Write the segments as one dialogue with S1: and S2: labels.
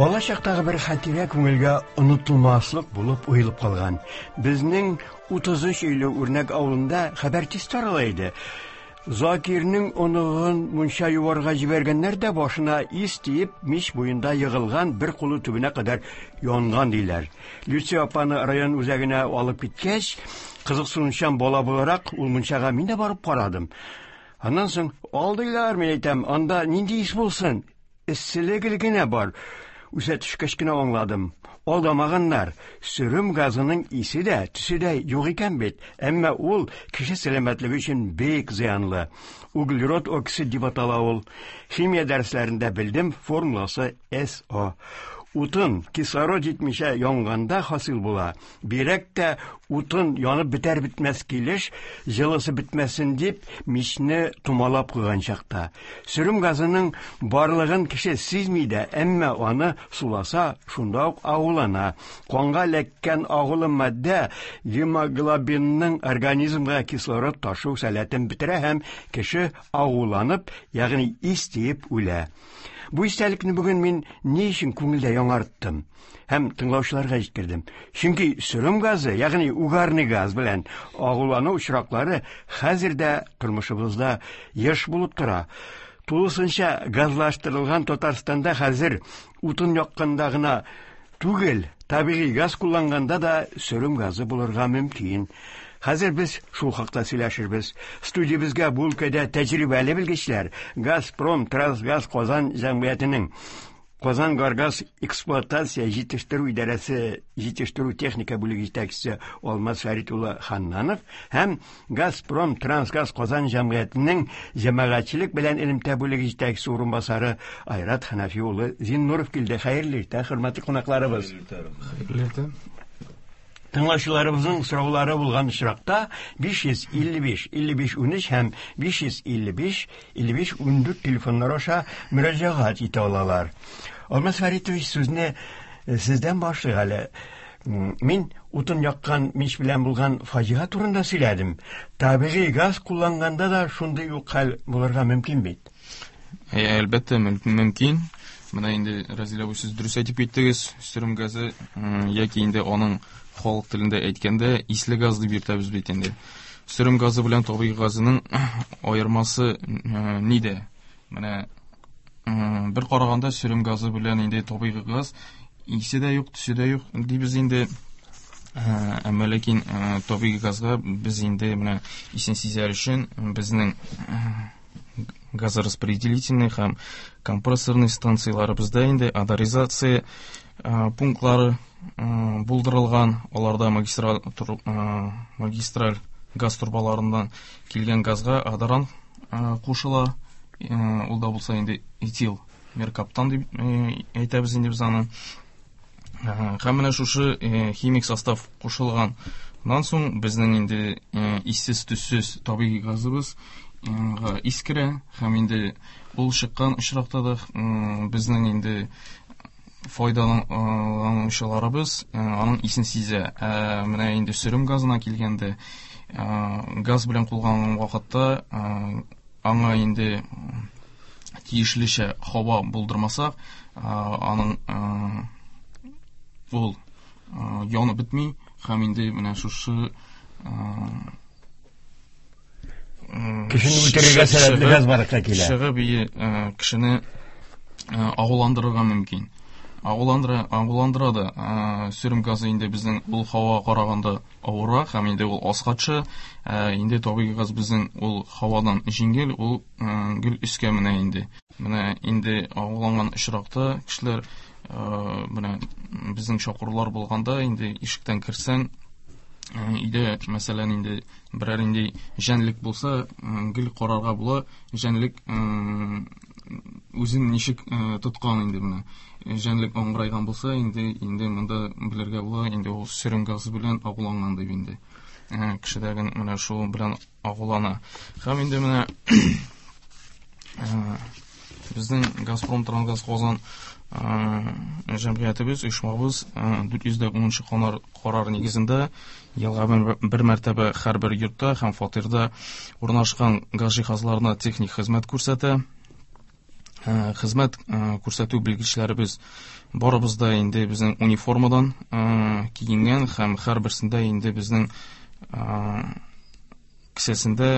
S1: Бала чактагы бер хатирә күңелгә онытылмаслык булып уелып калган. Безнең 33 өйле Үрнәк авылында хәбәр тиз тарала иде. Закирнең оныгын мунча юарга җибәргәннәр дә башына ис тиеп, мич буенда егылган, бер кулы төбенә кадәр янган диләр. Люция апаны район үзәгенә алып киткәч, кызыксынучан бала буларак, ул мунчага мин дә барып карадым. Аннан соң, алдыйлар, мин әйтәм, анда нинди ис булсын? Эсселеге генә бар. Үсә төшкәч кенә аңладым. Алдамаганнар. Сөрем газының исе дә, төсе дә юк икән бит. Әмма ул кеше сәламәтлеге өчен бик зыянлы. Углерод окисид дип атала ул. Химия дәресләрендә белдем, формуласы СО. Утын кислород җитмичә янганда хасил була. Бигрәк тә утын янып бетәр-бетмәс килеш, җылысы бетмәсен дип, мичне томалап куйган чакта. Сөрем газының барлыгын кеше сизми дә, әмма аны суласа, шунда ук агулана. Канга эләккән агулы матдә гемоглобинның организмга кислород ташу сәләтен бетерә һәм кеше агуланып, ягъни ис тиеп үлә. Бу истәлекне бүген мин ни өчен күңелдә яңарттым һәм тыңлаучыларга җиткердем? Чөнки сөрем газы, ягъни угарный газ белән агулану очраклары хәзер дә тормышыбызда еш булып тора. Тулысынча газлаштырылган Татарстанда хәзер утын якканда гына түгел, табигый газ кулланганда да сөрем газы булырга мөмкин. Хәзер без шул хакта сөйләшербез. Студиябезгә бу өлкәдә тәҗрибәле белгечләр, Газпром Трансгаз Казан җәмгыятенең Казан Горгаз эксплуатация җитештерү идарәсе җитештерү техника бүлеге җитәкчесе Алмаз Фәрит улы Ханнанов һәм Газпром Трансгаз Казан җәмгыятенең җәмәгатьчелек белән элемтә бүлеге җитәкчесе урынбасары Айрат Хәнәфи улы Зиннуров килде. Хәерле иртә, хөрмәтле кунакларыбыз.
S2: Хәерле иртә.
S1: Тыңлаучыларыбызның сораулары булган очракта 555 55 13 һәм 555 55 14 телефоннар аша мөрәҗәгать итә алалар. Алмаз Фәритович, сүзне сездән башлыйк әле. Мин утын яккан мич белән булган фаҗига турында сөйләдем. Табигый газ кулланганда да шундый ук хәл булырга мөмкин бит.
S2: Әлбәттә, мөмкин. Менә инде Разилә абый, сез дөрес әйтеп киттегез. Сөрем газы яки инде аның халык телендә әйткәндә исле газ дип йөртәбез бит инде. Сөрем газы белән табигый газының аермасы нидә? Менә бер караганда сөрем газы белән инде табигый газ исе дә юк, төсе дә юк дибез инде. Әмма ләкин табигый газга без инде менә исен сизәр өчен безнең газораспределительный һәм компрессорный станцияләребездә инде одоризация пунктлары булдырылган. Аларда магистраль, магистраль газ торбаларыннан килгән газга одорант кушыла. Ул да булса инде этил меркаптан дип әйтәбез инде без аны. Һәм менә шушы химик состав кушылганнан соң безнең инде иссез төссез табигый газыбыз ис керә һәм инде ул чыккан очракта да безнең инде файдаланучыларыбыз аның исен сизә. Ә менә инде сөрем газына килгәндә, газ белән кулланган вакытта аңа инде тиешлечә һава булдырмасак, аның ул янып бетми һәм инде менә шушы
S1: кешене үтерергә сәләтле газ барлыкка килә.
S2: Чыгып кешене агуландырырга мөмкин. Агуландыра, агуландыра да. Сөрем газы инде безнең ул һавага караганда авыррак һәм инде ул аска төшә. Инде табигый газ безнең ул һавадан җиңел, ул гел өскә менә инде. Менә инде агуланган очракта кешеләр менә безнең чакырулар булганда инде ишектән керсәң, өйдә, мәсәлән, инде берәр инде җәнлек булса, гел карарга була, җәнлек үзен ничек тоткан инде менә. Җәнлек аңгырайган булса, инде инде монда белергә була, инде ул сөрем газы белән агуланган дип инде. Кешедәге менә шул белән агулана. Һәм инде менә безнең Газпром Трансгаз Казан җәмгыятебез, оешмабыз 410 канар карар нигезендә елга бер мәртәбә һәрбер йортта һәм фатирда урнашкан газ җиһазларына техник хезмәт күрсәтә. Хезмәт күрсәтү белгечләребез барыбыз да инде безнең униформадан киенгән һәм һәрберсендә инде безнең кесәсендә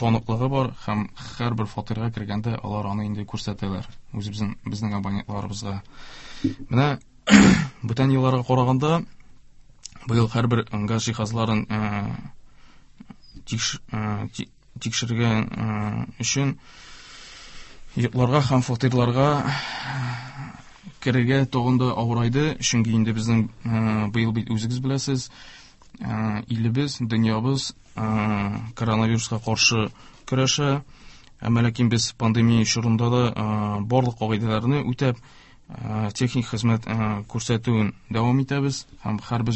S2: таныклыгы бар һәм һәрбер фатирга кергәндә алар аны инде күрсәтәләр үзебезнең безнең абонентларыбызга. Менә бүтән елларга караганда быел һәрбер газ җиһазларын тикшергән өчен йортларга һәм фатирларга керергә тагын да авырайды, чөнки инде безнең быел бит үзегез беләсез, илебез, дөньябыз коронавируска каршы көрәшә. Әмма ләкин без пандемия чорында да барлык кагыйдәләрне үтәп, техник хезмәт күрсәтүен дәвам итәбез һәм һәрбер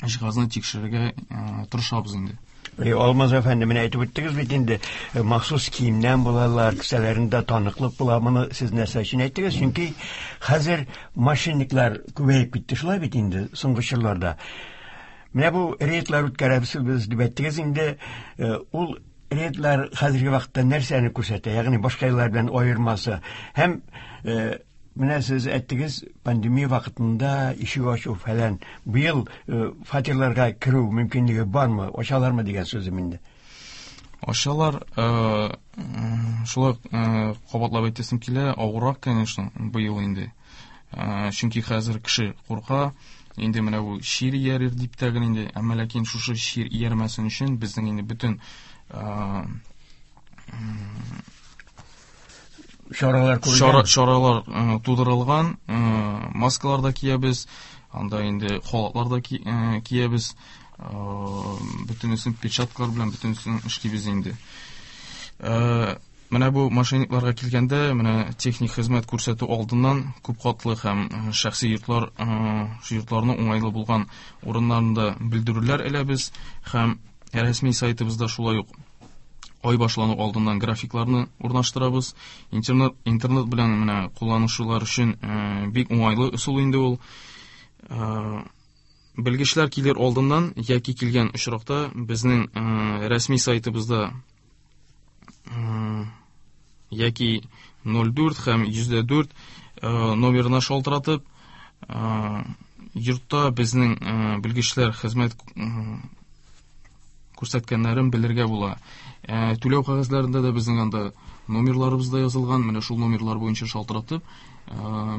S2: җиһазны тикшерергә тырышабыз инде.
S1: Алмаз әфәнде, менә әйтеп үттегез бит инде, махсус киемнән булалар, кесәләрендә таныклык була. Моны сез нәрсә өчен әйттегез? Чөнки хәзер мошенниклар күбәеп китте, шулай бит инде соңгы чорларда. Менә бу рейдлар үткәрәбез без дип әйттегез инде, ул рейдлар хәзерге вакытта нәрсәне күрсәтә? Ягъни башка еллар белән аермасы. Һәм менә сез әйттегез, пандемия вакытында ишек ачу фәлән. Быел фатирларга керү мөмкинлеге бармы, ачалармы дигән сүзем инде.
S2: Ачалар, шулай кабатлап әйтәсем килә, авыррак, конечно, быел инде. Чөнки хәзер кеше курка, инде менә бу чир иярер дип тә генә инде, әмма ләкин шушы чир иярмәсен өчен безнең инде бөтен
S1: чаралар күрелгән.
S2: Чаралар тудырылган, маскалар да киябез, анда инде халатлар да киябез, бөтенесен перчаткалар белән бөтенесен эшлибез инде. Менә бу мошенникларга килгәндә, менә техник хезмәт күрсәтү алдыннан күп катлы һәм шәхси йортларның уңайлы булган урыннарында белдерүләр эләбез һәм рәсми сайтыбызда шулай ук ай башлану алдыннан графикларны урнаштырабыз. Интернет белән менә кулланучылар өчен бик уңайлы ысул инде ул. Белгечләр килер алдыннан яки килгән очракта безнең рәсми сайтыбызда яки 04 һәм 104 номерына шалтыратып, йортта безнең белгечләр хезмәт күрсәткәннәрен белергә була. Түләү кәгазьләрендә дә безнең анда номерларыбыз да язылган, менә шул номерлар буенча шалтыратып,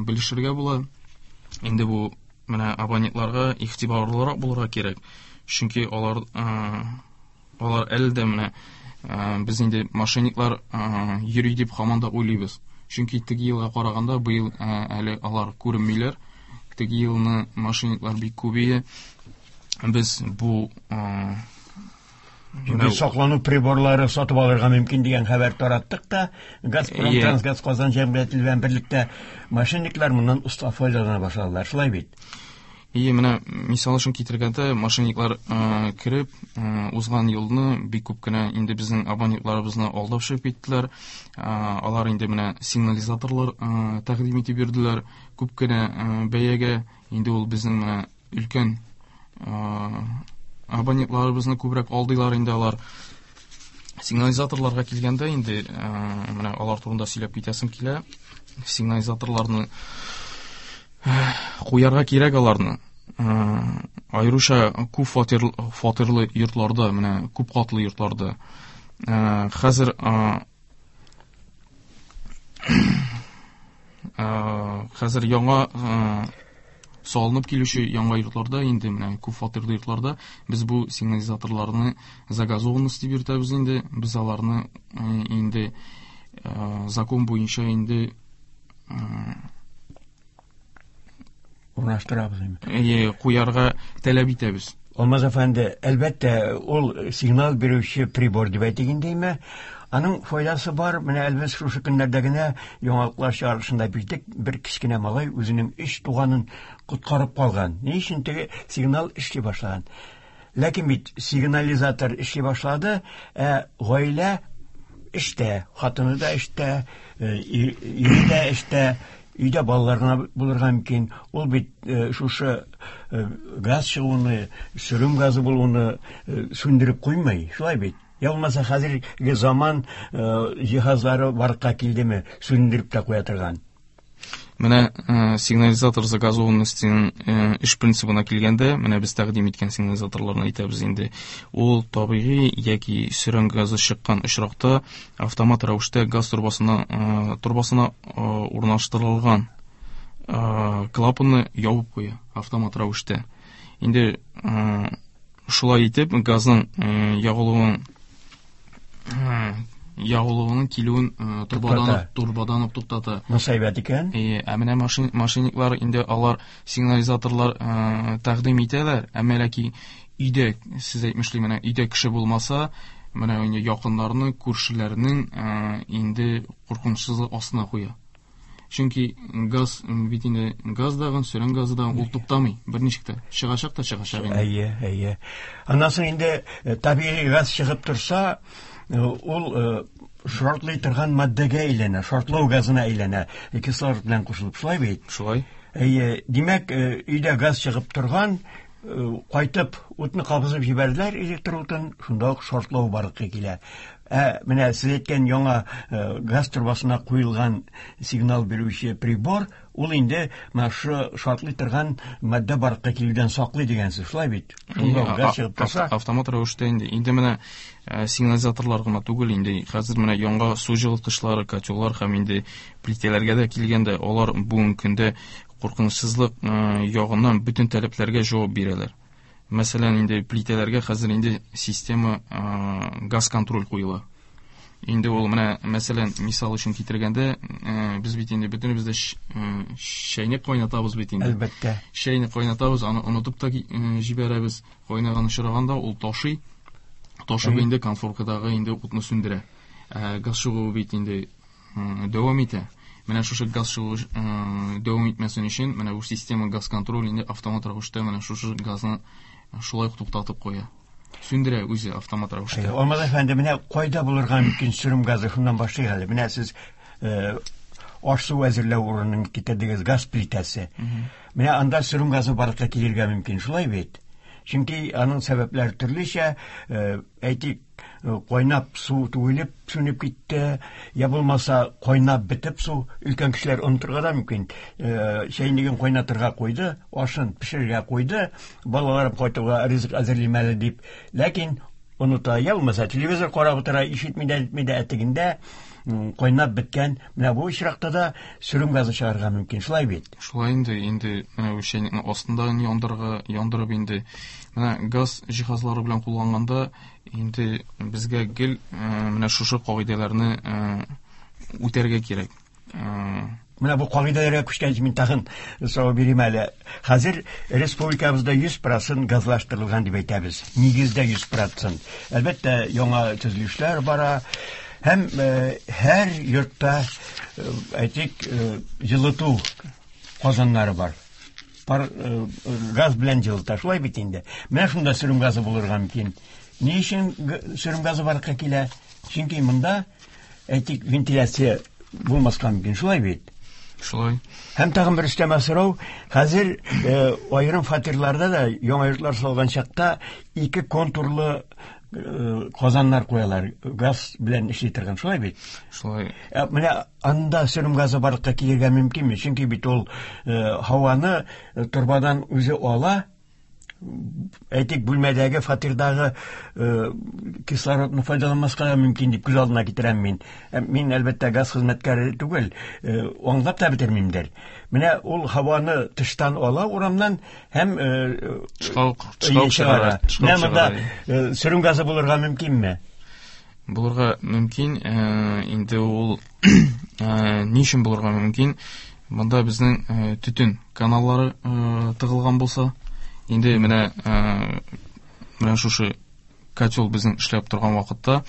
S2: белешергә була. Инде бу менә абонентларга игътибарлырак булырга кирәк, чөнки алар әле дә менә без инде мошенниклар йөри дип һаман да уйлыйбыз. Чөнки теге елга караганда быел әле алар күренмиләр. Теге елны мошенниклар бик күп иде. Без бу
S1: саклану приборлары сатып алырга мөмкин дигән хәбәр тараттык та, Газпром Трансгаз Казан җәмгыяте белән берлектә мошенниклар моннан оста файдалана башладылар, шулай бит?
S2: И менә мисал өчен китергәндә, мошенниклар кереп, узган елны бик күп кенә инде безнең абонентларыбызны алдап чыгып киттеләр. Алар инде менә сигнализаторлар тәкъдим итеп йөрделәр, күп кенә бәягә. Инде ул безнең менә өлкән абонентларыбызны күбрәк алдылар инде алар. Сигнализаторларга килгәндә инде менә алар турында сөйләп китәсем килә. Сигнализаторларны куярга кирәк аларны. Аеруча күп фатирлы йортларда, менә күп катлы йортларда. Хәзер яңа салынып килүче яңа йортларда инде менә күп фатирлы йортларда без бу сигнализаторларны загазованность дип йөртәбез инде. Без аларны инде закон буенча инде
S1: урнаштырабыз инде.
S2: Куярга таләп итәбез.
S1: Алмаз әфәнде, әлбәттә, ул сигнал бирүче прибор дип әйтик инде, аның файдасы бар. Менә әлбәттә шушы көннәрдә генә яңалыклар чыгарышында бирдек, бер кечкенә малай үзенең 3 туганын коткарып калган. Ни өчен теге сигнал эшли башлаган? Ләкин бит сигнализатор эшли башлады, ә гаилә эштә, хатыны да эштә, ире дә эштә, өйдә балалар гына булырга мөмкин. Ул бит шушы газ чыгуны, сөрем газы булуны сүндереп куймый, шулай бит? Я булмаса хәзерге заман җиһазлары барлыкка килдеме, сүндереп тә куя торган?
S2: Менә сигнализатор загазованностьның эш принцибына килгәндә, менә без тәкъдим иткән сигнализаторларны әйтәбез инде. Ул табигый яки сөрән газы чыккан очракта автомат рәвештә газ торбасына урнаштырылган клапанны ябып куя автомат рәвештә. Инде шулай итеп газның ягулыгының килүен торбадан ук туктата.
S1: Монысы әйбәт икән.
S2: Ә менә мошенниклар инде алар сигнализаторлар тәкъдим итәләр, әмма ләкин өйдә, сез әйтмешли, менә өйдә кеше булмаса, менә инде якыннарны, күршеләрнең инде куркынычсызлык астына куя. Чөнки газ бит инде, газ дагын, сөрән газы да ул туктамый, берничек тә. Чыгачак та чыгачак инде.
S1: Әйе, әйе. Аннан соң инде табигый газ чыгып торса, ул шартлый торган матдәгә әйләнә, шартлау газына әйләнә, кислород белән кушылып, шулай бит?
S2: Шулай.
S1: Әйе, димәк, өйдә газ чыгып торган, кайтып утны кабызып җибәрделәр, электр утын, шунда ук шартлау барлыкка килә. Ә менә сез әйткән яңа газ торбасына куелган сигнал бирүче прибор, ул инде менә шу шартлый торган матдә барлыкка килүдән саклый дигән сүз, шулай бит? Шунда ук газ чыгып торса,
S2: автомат рәвештә инде. Инде менә сигнализаторлар гына түгел, инде хәзер менә яңа су җылыткычлары, котеллар һәм инде плитәләргә дә килгәндә, алар бүгенге көндә куркынычсызлык ягыннан бөтен таләпләргә җавап бирәләр. Мәсәлән, инде плитәләргә хәзер инде система газ контроль куела. Инде ул менә, мәсәлән, мисал өчен китергәндә, без бит инде бөтенебез дә чәйне кайнатабыз бит инде.
S1: Әлбәттә.
S2: Чәйне кайнатабыз, аны онытып та җибәрәбез. Кайнаган очраганда ул ташый. Ташып инде конфоркадагы инде утны сүндерә. Газ чыгуы бит инде дәвам итә. Менә шушы газ чыгу дәвам итмәсен өчен, менә бу система газ контроль инде автомат рәвештә менә шушы газны шулай ук туктатып куя. Сүндерә үзе автомат рәвештә.
S1: Алмаз әфәнде, менә кайда булырга мөмкин сөрем газы, шуннан башлыйк әле. Менә сез аш-су әзерләү урынын китердегез, газ плитәсе. Менә анда сөрем газы барлыкка килергә мөмкин, шулай бит? Чөнки аның сәбәпләре төрлечә, әйтик, кайнап су түгелеп сүнеп китте, я булмаса кайнап бетеп су, өлкән кешеләр онытырга да мөмкин. Чәйнеген кайнатырга куйды, ашын пешерергә куйды, балаларым кайтуга ризык әзерлим әле дип. Ләкин оныта, я булмаса телевизор карап утыра, ишетми дә, әйтми дә, әтегендә кайнап беткән. Менә бу очракта да сөрем газы чыгарга мөмкин, шулай бит?
S2: Шулай инде, инде менә бу чәйнекнең астында яндырып инде. Менә газ җиһазлары белән кулланганда инде безгә гел менә шушы кагыйдәләрне үтәргә кирәк.
S1: Менә бу кагыйдәләргә күчкәнче мин тагын сорау бирим әле. Хәзер республикабызда 100% газлаштырылган дип әйтәбез. Нигездә 100%. Әлбәттә, яңа төзелешләр бара. Һәм һәр йортта, әйтик, җылыту казаннары бар. Пар газ белән җылыта, шулай бит инде. Менә шунда сөрем газы булырга мөмкин. Ни өчен сөрем газы барлыкка килә? Чөнки монда, әйтик, вентиляция булмаска мөмкин, шулай бит?
S2: Шулай.
S1: Һәм тагын бер өстәмә сорау. Хәзер аерым фатирларда да яңа йортлар салган чакта ике контурлы казаннар куялар, газ белән эшли торган, шулай бит?
S2: Шулай.
S1: Менә анда сөрем газы барлыкка килергә мөмкинме? Чөнки бит ул һаваны торбадан үзе ала, әйтик, бүлмәдәге, фатирдагы кислородны файдаланмаска да мөмкин дип күз алдына китерәм мин. Мин, әлбәттә, газ хезмәткәре түгел, аңлап та бетермимдер. Менә ул һаваны тыштан ала урамнан һәм чыгара. Менә монда сөрем газы булырга мөмкинме?
S2: Булырга мөмкин. Инде ул ни өчен булырга мөмкин? Монда безнең төтен каналлары тыгылган булса, инде менә шушы котел безнең эшләп торган вакытта,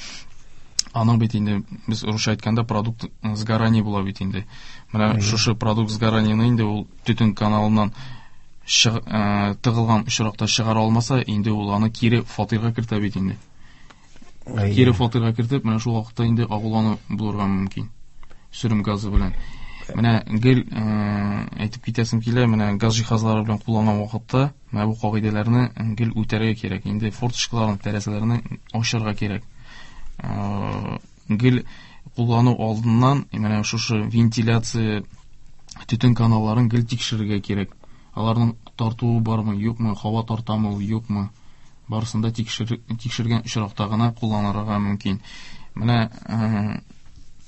S2: аның бит инде, без русча әйткәндә, продукт сгорания була бит инде. Менә шушы продукт сгоранияны инде ул төтен каналыннан тыгылган очракта чыгара алмаса, инде ул аны кире фатирга кертә бит инде. Кире фатирга кертеп, менә шул вакытта инде агулану булырга мөмкин. Сөрем газы белән. Менә гел әйтеп китәсем килә, менә газ җиһазлары белән кулланган вакытта менә бу кагыйдәләрне гел үтәргә кирәк. Инде форточкаларны, тәрәзәләрне ачарга кирәк. Гел куллану алдыннан менә шушы вентиляция төтен каналларын гел тикшерергә кирәк. Аларның тартуы бармы, юкмы, һава тартамы ул, юкмы? Барысын да тикшергән очракта гына кулланырга мөмкин. Менә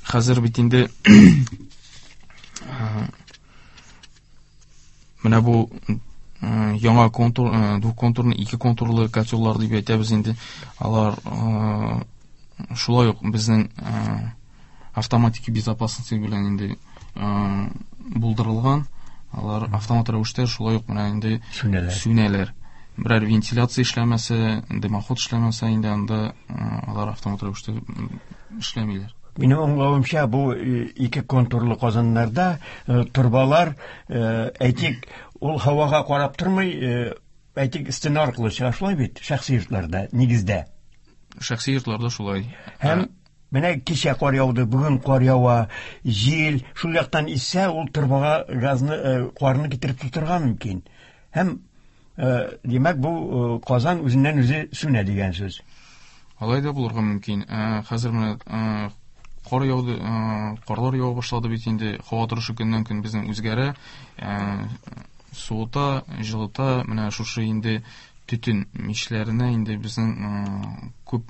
S2: хәзер бит инде менә бу яңа контур, двухконтурный, ике контурлы котеллар дип әйтәбез инде. Алар шулай ук безнең автоматика безопасности белән инде булдырылган. Алар автомат рәвештә шулай ук менә инде
S1: сүнәләр.
S2: Сүнәләр. Берәр вентиляция эшләмәсә, дымоход эшләмәсә инде анда алар автомат рәвештә эшләмиләр.
S1: Минем аңлавымча, бу ике контурлы казаннарда торбалар, әйтик, ул һавага карап тормый, әйтик, стена аркылы чыга, шулай бит, шәхси йортларда, нигездә.
S2: Шәхси йортларда шулай.
S1: Һәм менә кичә кар яуды, бүген кар ява, җил шул яктан иссә, ул торбага газны, карны китереп тутырырга мөмкин. Һәм димәк, бу казан үзеннән үзе сүнә дигән сүз.
S2: Алай да булырга мөмкин. Хәзер менә кар яуды, карлар ява башлады бит инде. Һава торышы көннән көн безнең үзгәрә, суыта, җылыта. Менә шушы инде төтен мичләренә инде безнең күп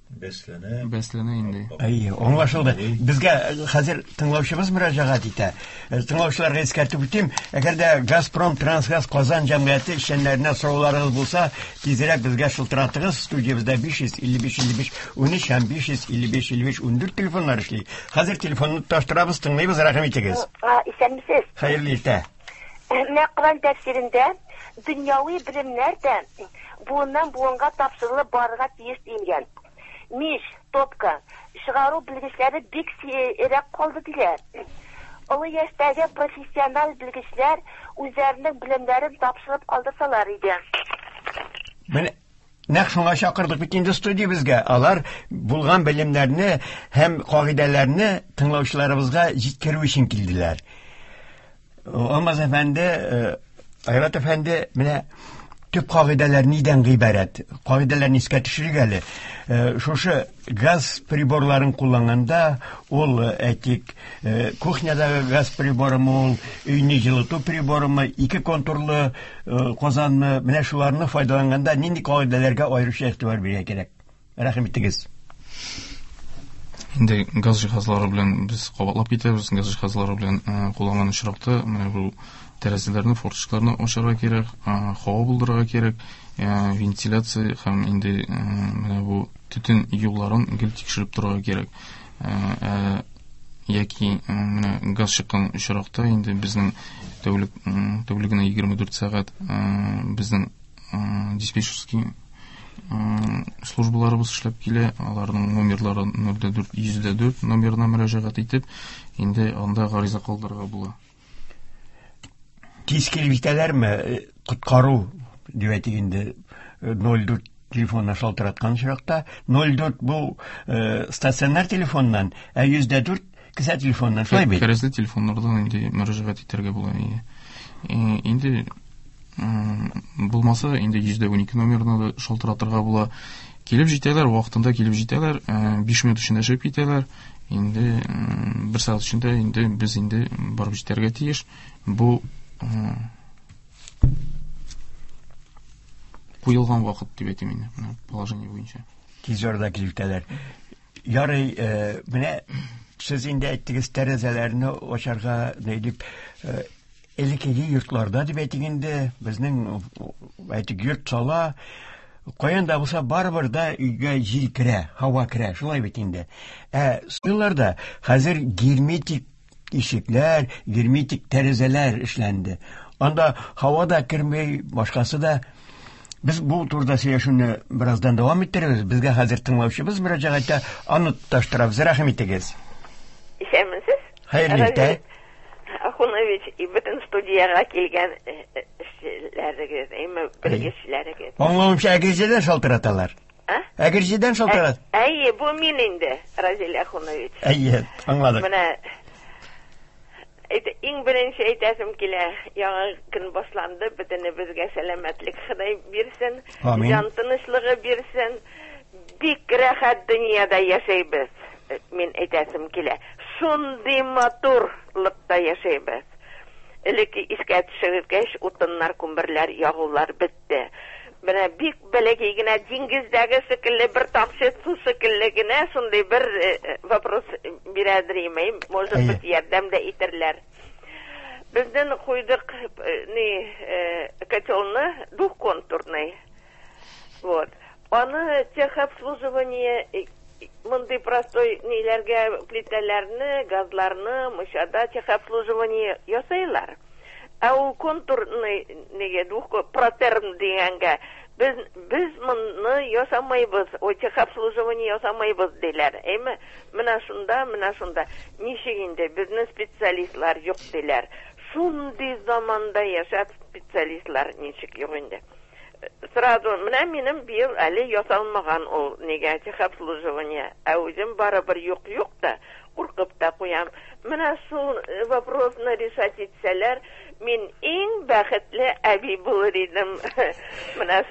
S3: бәсләнә.
S2: Бәсләнә инде.
S1: Әйе, аңлашылды. Безгә хәзер тыңлаучыбыз мөрәҗәгать итә. Тыңлаучыларга искәртеп үтим, әгәр дә Газпром Трансгаз Казан җәмгыяте эшчәннәренә сорауларыгыз булса, тизрәк безгә шылтыратыгыз. Студиябездә 555 55 13 һәм 555 55 14 телефоннар эшли. Хәзер телефонны тоташтырабыз, тыңлыйбыз, рәхим итегез.
S4: Исәнмесез.
S1: Хәерле иртә.
S4: Менә Коръән тәфсирендә дөньяви белемнәр дә буыннан буынга тапшырылып барырга тиеш диелгән. Мич, топка чыгару белгечләре бик сирәк калды диләр. Олы яшьтәге профессиональ белгечләр үзләренең белемнәрен тапшырып калдырсалар иде.
S1: Менә нәкъ шуңа чакырдык бит инде студиябезгә. Алар булган белемнәрне һәм кагыйдәләрне тыңлаучыларыбызга җиткерү өчен килделәр. Алмаз әфәнде, Айрат әфәнде, менә төп кагыйдәләр нидән гыйбарәт? Кагыйдәләрне искә төшерик әле. Шушы газ приборларын кулланганда, ул, әйтик, кухнядагы газ приборымы ул, өйне җылыту приборымы, ике контурлы казанмы, менә шуларны файдаланганда нинди кагыйдәләргә аеруча игътибар бирергә кирәк? Рәхим итегез.
S2: Инде газ җиһазлары белән без кабатлап китәбез. Газ җиһазлары белән кулланган очракта менә бу тәрәзәләрне, форточкаларны ачарга кирәк, һава булдырырга кирәк, вентиляция һәм инде менә бу төтен юлларын гел тикшереп торырга кирәк. Яки менә газ чыккан очракта инде безнең тәүлегенә 24 сәгать безнең диспетчерский службаларыбыз эшләп килә. Аларның номерлары 04 104 номерына мөрәҗәгать итеп, инде анда гариза калдырырга була.
S1: Тиз килеп җитәләрме? Коткару дип әйтик инде, 04 телефонына шалтыраткан очракта, 04 бу стационар телефоннан, ә 104 кесә телефоннан, шулай бит?
S2: Кәрәзле телефоннардан инде мөрәҗәгать итәргә була. Инде булмаса, инде 112 номерына да шалтыратырга була. Килеп җитәләр, вакытында килеп җитәләр, 5 минут эчендә чыгып китәләр. Инде бер сәгать эчендә инде без инде барып җитәргә тиеш. Бу куелган вакыт дип әйтим инде, менә положение буенча.
S1: Тиз арада килеп җитәләр. Ярый, менә сез инде әйттегез, тәрәзәләрне ачарга дип, элеккеге йортларда дип әйтик инде, безнең әйтик йорт сала, каян да булса барыбер да өйгә җил керә, һава керә, шулай бит инде. Ә елларда хәзер герметик ишекләр, герметик тәрәзәләр эшләнде. Анда һава да керми, башкасы да. Без бу турыда сөйләшүне бераздан дәвам иттерербез. Безгә хәзер тыңлаучыбыз мөрәҗәгать итә, аны тоташтырабыз. Рәхим итегез.
S5: Исәнмесез.
S1: Хәерле иртә.
S5: Ахунович, и бөтен студиягә килгән эшчеләрегез, әйме белгечләрегез.
S1: Аңлавымча, Әгерҗедән шалтыраталар. Әгерҗедән шалтырат.
S5: Әйе, бу мин инде, Разил Ахунович.
S1: Әйе, аңладык.
S5: Менә иң беренче әйтәсем килә, яңа көн башланды, бөтенебезгә сәламәтлек Ходай бирсен, җан тынычлыгы бирсен. Бик рәхәт дөньяда яшәйбез, мин әйтәсем килә. Шундый матурлыкта яшәйбез. Элек искә төшергәч, утыннар, күмерләр, ягулар бетте. Менә бик бәләкәй генә диңгездәге шикелле бер тамчы су шикелле генә шундый бер вопрос бирәдер имәйм, может быть, ярдәм дә итерләр. Бездән куйдык ни котелны двухконтурный. Вот. Аны техобслуживание мондый простой ниләргә плитәләрне, газларны, мунчада техобслуживание ясыйлар. Ә ул контурный неге протерм дигәнгә без моны ясамыйбыз, о техобслуживание ясамыйбыз диләр. Әйме? Менә шунда, менә шунда. Ничек инде безнең специалистлар юк диләр. Шундый заманда яшәп специалистлар ничек юк инде. Сразу, менә минем быел әле ясалмаган ул нигә техобслуживание. Ә үзем барыбер юк-юк та, куркып та куям. Менә шул вопросны решать итсәләр, мин иң бәхетле әби булыр идем. Менә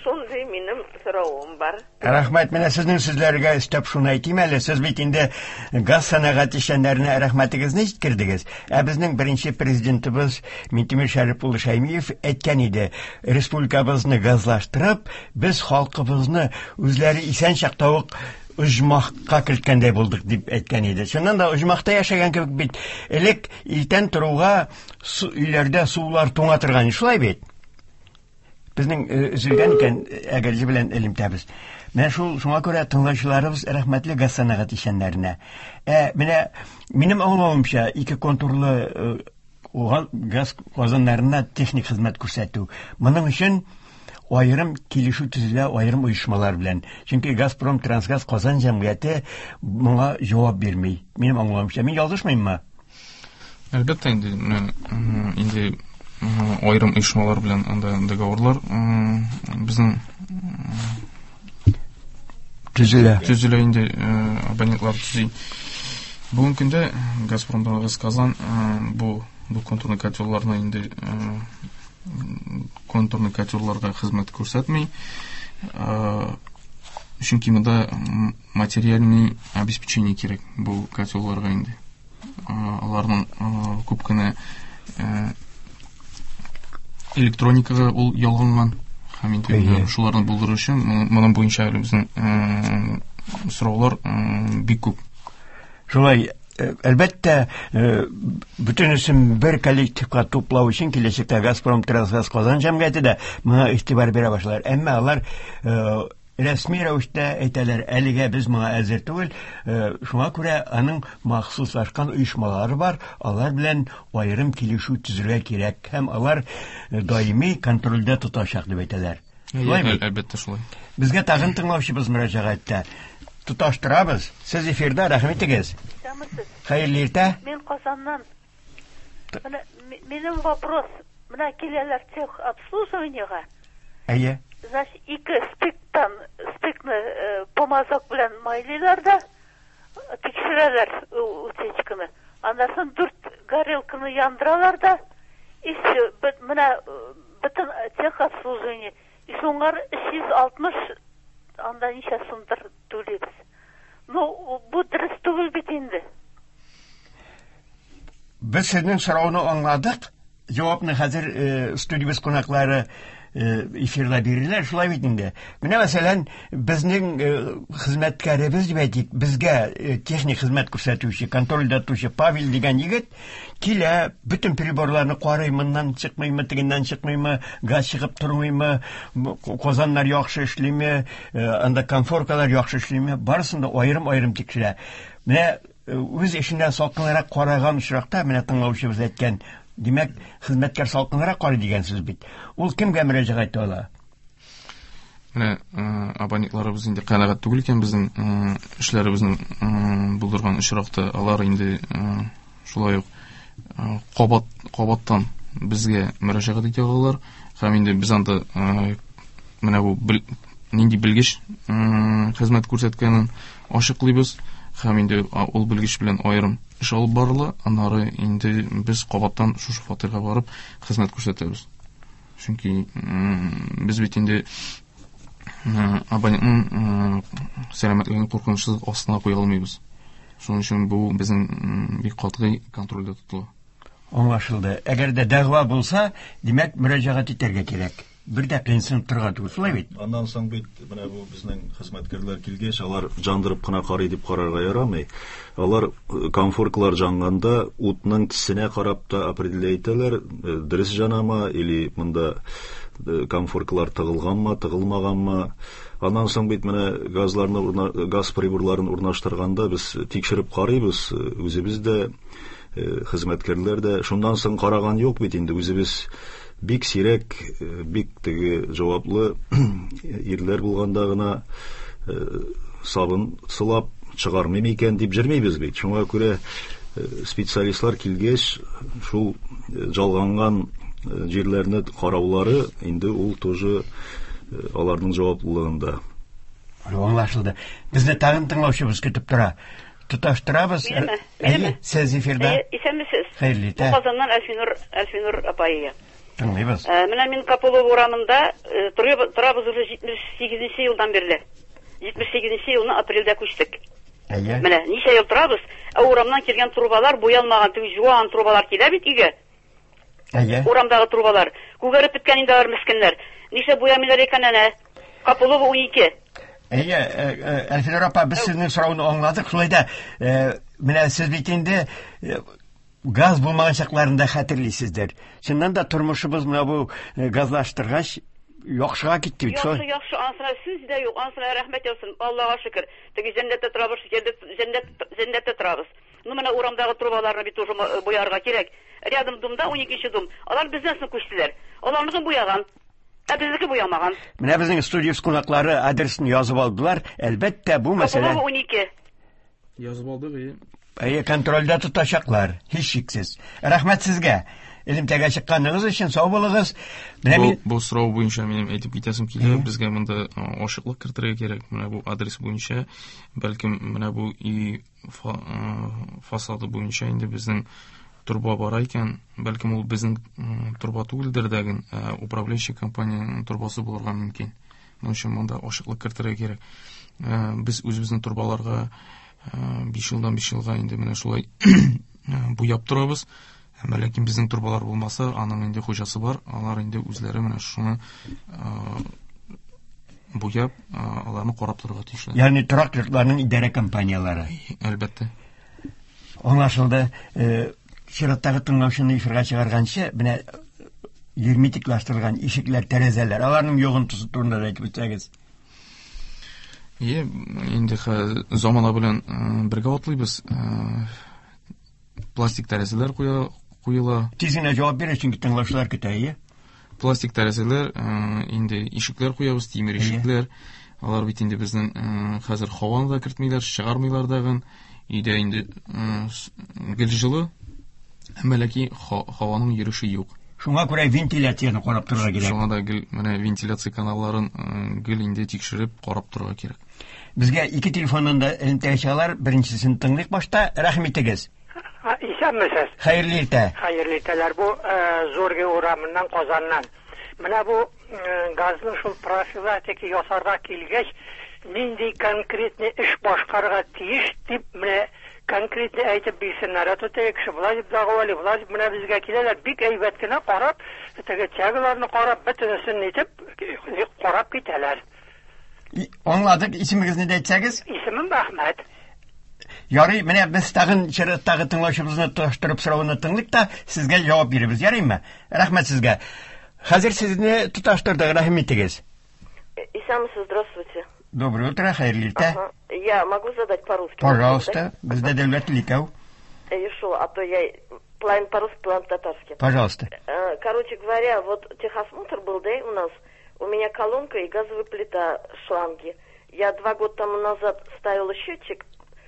S5: шундый минем соравым бар.
S1: Рәхмәт, менә сезнең сүзләргә өстәп шуны әйтим әле, сез бит инде газ сәнәгате эшчәннәренә рәхмәтегезне җиткердегез. Ә безнең беренче президентыбыз Минтимер Шәрип улы Шәймиев әйткән иде, республикабызны газлаштырып, без халкыбызны үзләре исән чакта ук оҗмахка керткәндәй булдык дип әйткән иде. Чыннан да оҗмахта яшәгән кебек бит. Элек иртән торуга өйләрдә сулар туңа торган, шулай бит? Безнең өзелгән икән Әгерҗе белән элемтәбез. Менә шул шуңа күрә тыңлаучыларыбыз рәхмәтле газ сәнәгать эшчәннәренә. Ә менә минем аңлавымча, ике контурлы газ казаннарына техник хезмәт күрсәтү. Моның өчен аерым килешү төзелә аерым оешмалар белән. Чөнки Газпром Трансгаз Казан җәмгыяте моңа җавап бирми. Минем аңлавымча, мин ялгышмыйммы?
S2: Әлбәттә инде, менә инде аерым оешмалар белән анда договорлар безнең
S1: төзелә.
S2: Төзелә инде, абонентлар төзи. Бүгенге көндә Газпром Трансгаз Казан бу контурный котелларны инде контурный котелларга хезмәт күрсәтми. Чөнки монда материальный обеспечение кирәк бу котелларга инде. Аларның күп кенә электроникага ул ялганган һәм инде шуларны булдыру өчен моның буенча әле безнең сораулар бик күп.
S1: Шулай, әлбәттә, бөтенесен бер коллективка туплау өчен киләчәктә Газпром Трансгаз Казан җәмгыяте дә моңа игътибар бирә башлар. Әмма алар рәсми рәвештә әйтәләр, әлегә без моңа әзер түгел, шуңа күрә аның махсуслашкан оешмалары бар, алар белән аерым килешү төзергә кирәк һәм алар даими контрольдә тотачак дип әйтәләр.
S2: Шулай бит? Әлбәттә шулай.
S1: Безгә тагын тыңлаучыбыз мөрәҗәгать итә. Тоташтырабыз. Сез эфирда, рәхим итегез.
S3: Исәнмесез.
S1: Хәерле иртә.
S3: Мин Казаннан. Менә минем вопрос. Менә киләләр тех обслуживаниега.
S1: Әйе.
S3: Значит, ике стыктан стыкны помазок белән майлыйлар да тикшерәләр утечканы. Аннан соң 4 горелканы яндыралар да, и все, менә бөтен техобслуживание. И шуңар 360 анда ничә сумдыр түлибез. Ну, бу дөрес түгел бит инде.
S1: Без сезнең сорауны аңладык. Җавапны хәзер студиябез кунаклары эфирда бирерләр, шулай бит инде. Менә мәсәлән, безнең хезмәткәребез дип әйтик, безгә техник хезмәт күрсәтүче, контрольдә тотучы Павел дигән егет килә, бөтен приборларны карый, моннан чыкмыймы, тегеннән чыкмыймы, газ чыгып тормыймы, казаннар яхшы эшлиме, анда конфоркалар яхшы эшлиме, барысын да аерым-аерым тикшерә. Менә үз эшенә салкынрак караган очракта, менә тыңлаучыбыз әйткән, димәк, хезмәткәр салкынрак карый дигән сүз бит. Ул кемгә мөрәҗәгать итә ала?
S2: Менә абонентларыбыз инде канәгать түгел икән безнең эшләребезнең булдырган очракта, алар инде шулай ук кабаттан безгә мөрәҗәгать итә алалар. Һәм инде без анда менә бу нинди белгеч хезмәт күрсәткәнен ачыклыйбыз. Һәм инде ул белгеч белән аерым эш алып барыла. Аннары инде без кабаттан шушы фатирга барып хезмәт күрсәтәбез. Чөнки без бит инде Абонентның сәламәтлеген куркынычсызлык астына куя алмыйбыз. Шуның өчен бу безнең бик катгый контрольдә тотыла.
S1: Аңлашылды. Әгәр дә дәгъва булса, димәк, мөрәҗәгать итәргә кирәк. Бер дә кыенсынып торырга түгел, шулай бит?
S6: Аннан соң бит менә бу безнең хезмәткәрләр килгәч, алар җандырып кына карый дип карарга ярамый. Алар конфоркалар җанганда утның төсенә карап та определять итәләр, дөрес җанама или монда конфоркалар тыгылганмы, тыгылмаганмы. Аннан соң бит менә газларны газ приборларын урнаштырганда без тикшереп карыйбыз, үзебез дә, хезмәткәрләр дә. Шуннан соң караган юк бит инде, үзебез бик сирәк, бик теге җаваплы ирләр булганда гына сабын сылап чыгармыйм икән дип җөрмибез бит. Шуңа күрә специалистлар килгәч, шул жалганган җирләрне караулары инде ул тоже аларның җаваплылыгында.
S1: Аңлашылды. Безне тагын тыңлаучыбыз көтеп тора. Тоташтырабыз.
S7: Әйе,
S1: сез эфирда.
S7: Исәнмесез.
S1: Хәерле иртә.
S7: Казаннан Әлфинур апай.
S1: Тыңлыйбыз.
S7: Менә мин Капулов урамында торабыз уже 78 елдан бирле. 78 елны апрельдә күчтек.
S1: Әйе.
S7: Менә ничә ел торабыз, ә урамнан килгән трубалар буялмаган, теге жуан трубалар килә бит өйгә.
S1: Әйе.
S7: Урамдагы трубалар. Күгәреп беткән инде алар мескеннәр. Нишләп буямыйлар икән әнә? Капулова 12.
S1: Әйе, Әлфинур апа, без сезнең сорауны аңладык. Шулай да, менә сез бит инде газ булмаган чакларында хәтерлисездер. Чыннан да тормышыбыз менә бу газлаштыргач яхшыга китте бит.
S7: Яхшы, яхшы, анысына сүз дә юк, анысына рәхмәт яусын, Аллага шөкер. Теге җәннәттә торабыз, җәннәттә торабыз. Ну, менә урамдагы трубаларны бит уже буярга кирәк. Рядом домда 12 дом. Алар бездән соң күчтеләр. Аларныкын буяган. Ә безнеке буямаган.
S1: Менә безнең студия кунаклары адресын язып алдылар. Әлбәттә, бу мәсьәлә
S7: 12.
S2: Язып алдык, әйе.
S1: Әйе, контрольдә тотачаклар, һичшиксез. Рәхмәт сезгә. Элемтәгә чыкканыгыз өчен сау булыгыз.
S2: Менә мин бу сорау буенча минем әйтеп китәсем килә, безгә монда ачыклык кертергә кирәк. Менә бу адрес буенча, бәлкем менә бу өй фасады буенча инде безнең труба бара икән, бәлкем ул безнең труба түгелдер дә, управляющий компаниянең трубасы булырга мөмкин. Моның өчен монда ачыклык кертергә кирәк. Без үзебезнең трубаларга 5 елдан 5 елга инде менә шулай буяп торабыз. Әмма ләкин безнең трубалар булмаса, аның инде хуҗасы бар, алар инде үзләре менә шуны буяп, аларны карап торырга тиешләр.
S1: Ягъни торак йортларның идарә компанияләре.
S2: Әлбәттә.
S1: Аңлашылды. Чираттагы тыңлаучыны эфирга чыгарганчы, менә герметиклаштырылган ишекләр, тәрәзәләр, аларның йогынтысы турында да әйтеп үтсәгез.
S2: Е, инде замана белән бергә атлыйбыз. Пластик тәрәзәләр куела.
S1: Тиз генә җавап бирә, чөнки тыңлаучылар көтә, әйе.
S2: Пластик тәрәзәләр, инде ишекләр куябыз, тимер ишекләр. Алар бит инде безнең хәзер һаваны да кертмиләр, чыгармыйлар дагын. Өйдә инде гел җылы, әмма ләкин һаваның йөреше юк.
S1: Шуңа күрә вентиляцияне карап торырга кирәк.
S2: Шуңа да гел менә вентиляция каналларын гел инде тикшереп карап торырга кирәк.
S1: Безгә ике телефоннан да элемтәгә чыгалар. Беренчесен тыңлыйк башта. Рәхим итегез.
S8: Исәнмесез.
S1: Хәерле иртә.
S8: Хәерле иртәләр. Бу Зорге урамыннан, Казаннан. Менә бу газның шул профилактика ясарга килгәч, нинди конкретный эш башкарырга тиеш дип менә конкретно әйтеп бирсеннәр. Ә то теге кеше болай дип дәгъвалый, болай дип менә безгә киләләр, бик әйбәт кенә карап, теге тягаларны карап, бөтенесен итеп карап китәләр.
S1: Аңладык, исемегезне дә әйтсәгез?
S8: Исемем Әхмәт.
S1: Ярый, менә без тагын чираттагы тыңлаучыбызны тоташтырып сорауны тыңлыйк та, сезгә җавап бирербез, ярыймы? Рәхмәт сезгә. Хәзер сезне тоташтырдык, рәхим итегез.
S5: Исәнмесез, здравствуйте.
S1: Доброе утро, хәерле иртә.
S5: Ага. Я могу задать по-русски?
S1: Пожалуйста, бездә дәүләт теле икәү.
S5: Еще, а то я половину по-русски, половину по-татарски.
S1: Пожалуйста.
S5: Короче говоря, вот техосмотр был, да, у нас. У меня колонка и газовая плита, шланги. Я 2 года тому назад ставила счетчик,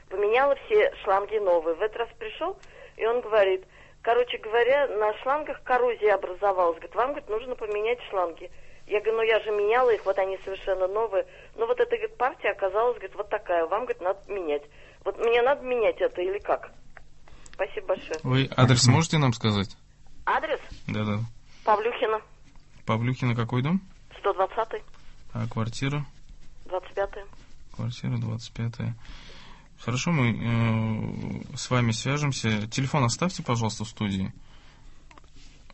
S5: поменяла все шланги новые. В этот раз пришел, и он говорит, короче говоря, на шлангах коррозия образовалась. Говорит, вам, говорит, нужно поменять шланги. Я говорю, ну я же меняла их, вот они совершенно новые. Ну вот эта, говорит, партия оказалась, говорит, вот такая, вам, говорит, надо менять. Вот мне надо менять это или как? Спасибо большое.
S2: Вы адрес можете нам сказать?
S5: Адрес?
S2: Да-да.
S5: Павлюхина.
S2: Павлюхина какой дом?
S5: 120-й.
S2: А квартира?
S5: 25-я.
S2: Квартира 25. Хорошо, мы с вами свяжемся. Телефон оставьте, пожалуйста, в студии.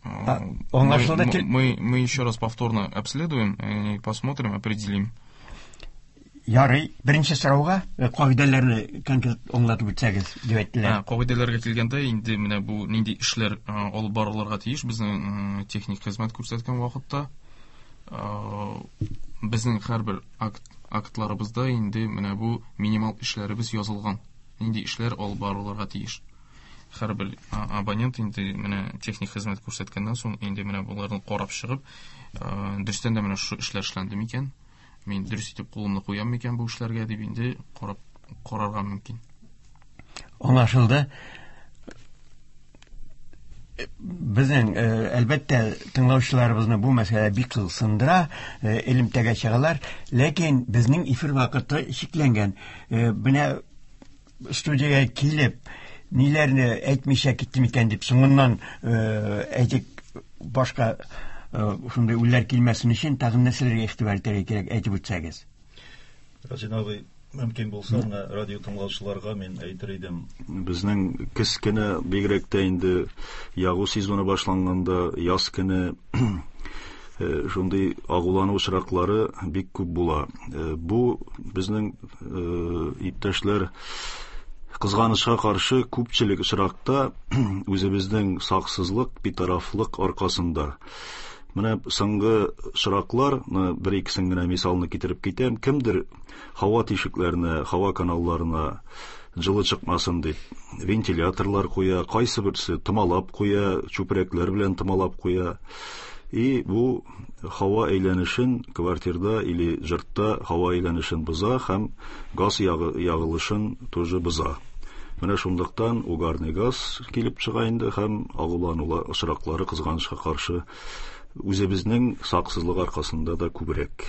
S2: Мы еще раз повторно обследуем и посмотрим, определим.
S1: Ярый, беренче сорауга кагыйдәләрне конкрет аңлатып үтсәгез, дип әйттеләр.
S2: Кагыйдәләргә килгәндә, инде менә бу нинди эшләр алып барылырга тиеш безнең техник хезмәт күрсәткән вакытта. Безнең һәрбер актларыбызда инде менә бу минимал эшләребез язылган. Нинди эшләр алып барылырга тиеш. Һәрбер абонент инде менә техник хезмәт күрсәткәннән соң инде менә боларны карап чыгып, дөрестән дә менә шушы эшләр эшләнде микән? Мин дөрес итеп кулымны куям микән бу эшләргә дип инде карап карарга мөмкин.
S1: Аңлашылды. Безнең әлбәттә тыңлаучыларыбызны бу мәсьәлә бик кызыксындыра, элемтәгә чыгалар, ләкин безнең эфир вакыты чикләнгән. Менә студиягә килеп, ниләрне әйтмичә киттем икән дип соңыннан әйтик башка шундый уйлар килмәсен өчен тагын нәрсәләргә игътибар итәргә кирәк, әйтеп үтсәгез.
S6: Разин абый, мөмкин булса, менә радио тыңлаучыларга мин әйтер идем. Безнең көз көне бигрәк тә инде ягу сезоны башланганда, яз көне шундый агулану очраклары бик күп була. Бу безнең иптәшләр кызганычка каршы күпчелек очракта үзебезнең саксызлык, битарафлык аркасында. Менә соңгы очраклар, бер икесен генә мисалны китереп китәм. Кемдер һава тишекләренә, һава каналларына җылы чыкмасын дип вентиляторлар куя, кайсы берсе томалап куя, чүпрәкләр белән томалап куя. И бу һава әйләнешен квартирда или йортта һава әйләнешен боза һәм газ ягылышын тоже боза. Менә шунлыктан угарный газ килеп чыга инде һәм агулану очраклары кызганычка каршы үзебезнең саксызлык аркасында да күбрәк.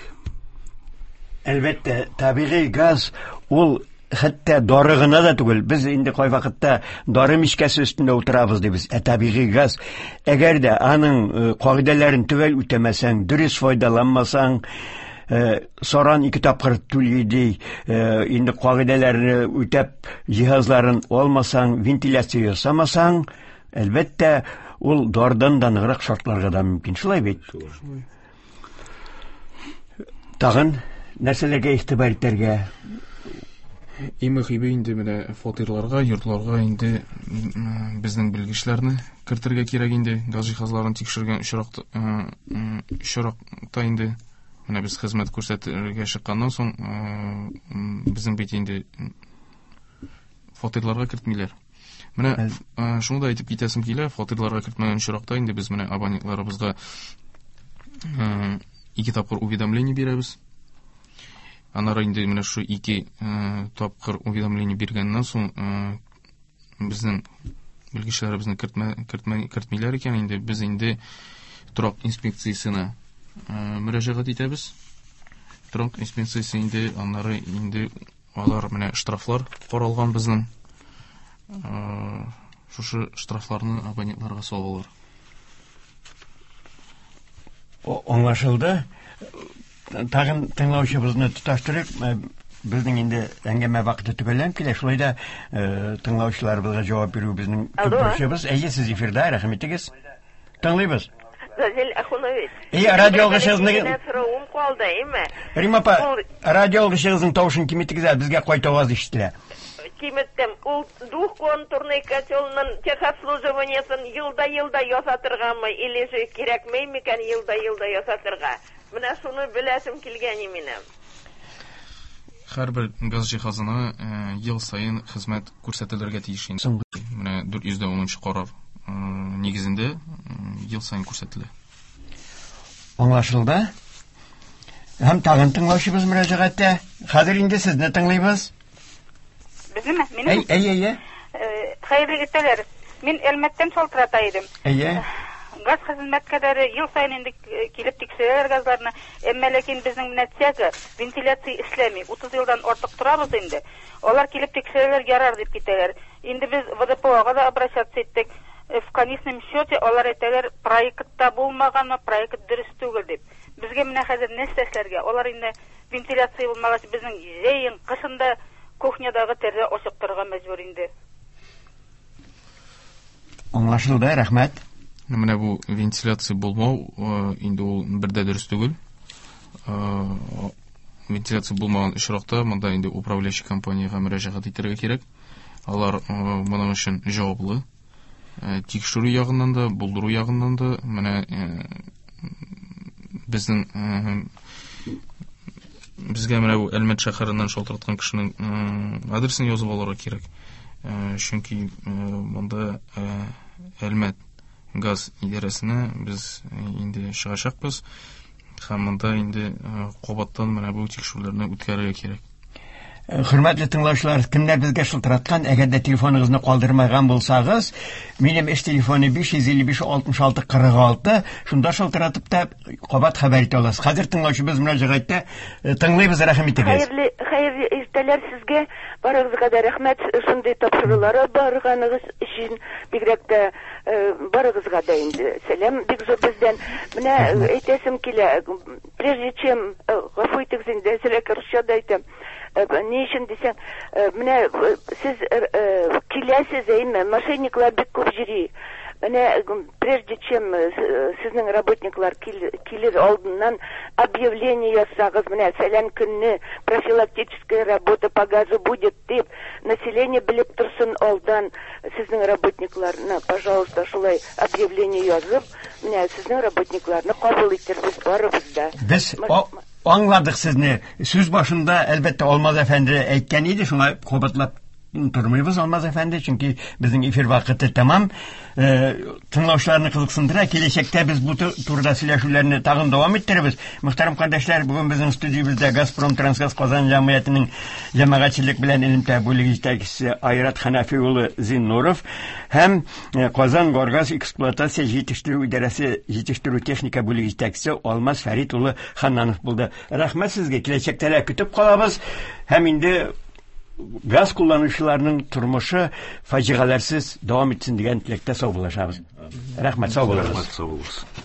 S1: Әлбәттә, табигый газ ул хәтта дары гына да түгел. Без инде кайвакытта дары мичкәсе өстендә утырабыз дибез. Ә табигый газ, әгәр дә аның кагыйдәләрен төгәл үтәмәсәң, дөрес файдаланмасаң, саран ике тапкыр түли ди, инде кагыйдәләрне үтәп җиһазларын алмасаң, вентиляция ясамасаң, әлбәттә, ул дардан да ныграк шартларга да мөмкин. Шулай бит?
S6: Шулай.
S1: Тагын нәрсәләргә игътибар итәргә?
S2: Иң мөһиме инде менә фатирларга, йортларга инде безнең белгечләрне кертергә кирәк инде. Газ җиһазларын тикшергән очракта инде менә без хезмәт күрсәтергә чыкканнан соң безнең бит инде фатирларга кертмиләр. Менә шуны да әйтеп китәсем килә, фатирларга кертмәгән очракта инде без менә абонентларыбызга 2 тапкыр уведомление бирәбез. Аннары инде менә шу 2 тапкыр уведомление биргәннән соң безнең белгечләребезне кертмиләр икән, инде без инде торак инспекциясенә мөрәҗәгать итәбез. Торак инспекциясе инде аннары инде алар менә штрафлар каралган безнең. Шушы штрафларны абонентларга салалар.
S1: Аңлашылды. Тагын тыңлаучыбызны тоташтырып, безнең инде әңгәмә вакыты төгәлләнеп килә. Шулай да тыңлаучыларыбызга җавап бирү безнең төп бурычыбыз. Әйе, сез эфирда, рәхим итегез. Тыңлыйбыз.
S5: Разил Ахунович.
S1: Әйе, радио алгычыгызны
S5: соравым калды, әйме?
S1: Рима апа, радио алгычыгызның тавышын киметегез әле, безгә кайта аваз ишетелә.
S5: Киметтем. Ул двухконтурный котелның техобслуживаниесен елда-елда ясатыргамы, или же кирәкмәй микән елда-елда ясатырга? Менә шуны беләсем килгән минем.
S2: Һәрбер газ җиһазына ел саен хезмәт күрсәтелергә тиеш инде. Менә 410 карар нигезендә ел саен күрсәтелә.
S1: Аңлашылды. Һәм тагын тыңлаучыбыз мөрәҗәгатьтә. Хәзер инде сезне тыңлыйбыз.
S9: Безнеме? Минеме?
S1: Әй, әй, әй.
S9: Хәерле иртәләр. Мин Әлмәттән шалтырата идем.
S1: Әйе.
S9: Газ хезмәткәрләре ел саен инде килеп тикшерәләр газларны. Әмма ләкин безнең менә тяга, вентиляция эшләми. 30 елдан артык торабыз инде. Алар килеп тикшерәләр, ярар дип китәләр. Инде без ВДПОга да обращаться иттек. В конечном счете алар әйтәләр, проектта булмаганмы, проект дөрес түгел дип. Безгә менә хәзер нәрсә эшләргә? Алар инде Вентиляция булмагач, безнең җәен, кышын да кухнядагы тәрәзә ачык торырга мәҗбүр инде.
S1: Аңлашылды, рәхмәт.
S2: Менә бу вентиляция булмау инде ул бер дә дөрес түгел. Вентиляция булмаган очракта монда инде управляющий компаниягә мөрәҗәгать итәргә кирәк. Алар моның өчен җаваплы. Тикшерү ягыннан да, булдыру ягыннан да менә безнең безгә менә бу Әлмәт шәһәреннән шалтыраткан кешенең адресын язып алырга кирәк. Чөнки монда Әлмәт газ идарәсенә без инде чыгачакбыз һәм монда инде кабаттан менә бу тикшерүләрне үткәрергә кирәк.
S1: Хөрмәтле тыңлаучылар, кемнәр безгә шылтыраткан, әгәр дә телефоныгызны калдырмаган булсагыз, минем эш телефоны 555 66 46, шунда шылтыратып та кабат хәбәр итә аласыз. Хәзер тыңлаучыбыз мөрәҗәгатьтә, тыңлыйбыз, рәхим итегез.
S10: Хәерле, хәерле иртәләр сезгә. Барыгызга да рәхмәт шундый тапшырулары барганыгыз өчен, бигрәк тә барыгызга да инде сәлам бик зур бездән. Менә әйтәсем килә, прежде чем, гафу итегез инде, әзрәк русча да әйтәм. Ни өчен дисәң, менә сез киләсез, әйме, мошенниклар бик күп йөри. Менә прежде чем сезнең работниклар килер алдыннан объявление ясагыз, менә фәлән көнне профилактическая работа по газу будет дип, население белеп торсын алдан сезнең работникларны, пожалуйста, шулай объявление язып, менә сезнең работникларны кабул итербез барыбыз да.
S1: Без аңладык сезне. Сүз башында, әлбәттә, Алмаз әфәнде әйткән иде, шуңа кабатлап тормыйбыз, Алмаз әфәнде, чөнки безнең эфир вакыты тәмам. Тыңлаучыларны кызыксындыра. Киләчәктә без бу турыда сөйләшүләрне тагын дәвам иттерербез. Мөхтәрәм кардәшләр, бүген безнең студиябездә Газпром Трансгаз Казан җәмгыятенең җәмәгатьчелек белән элемтә бүлеге җитәкчесе Айрат Хәнәфи улы Зиннуров һәм Казан Горгаз эксплуатация җитештерү идарәсе җитештерү техника бүлеге җитәкчесе Алмаз Фәрит улы Ханнанов булды. Рәхмәт сезгә, киләчәктә дә көтеп калабыз һәм инде газ кулланучыларның тормышы фаҗигаләрсез дәвам итсен дигән теләктә саубуллашабыз. Рәхмәт, сау булыгыз.
S6: Рәхмәт, сау булыгыз.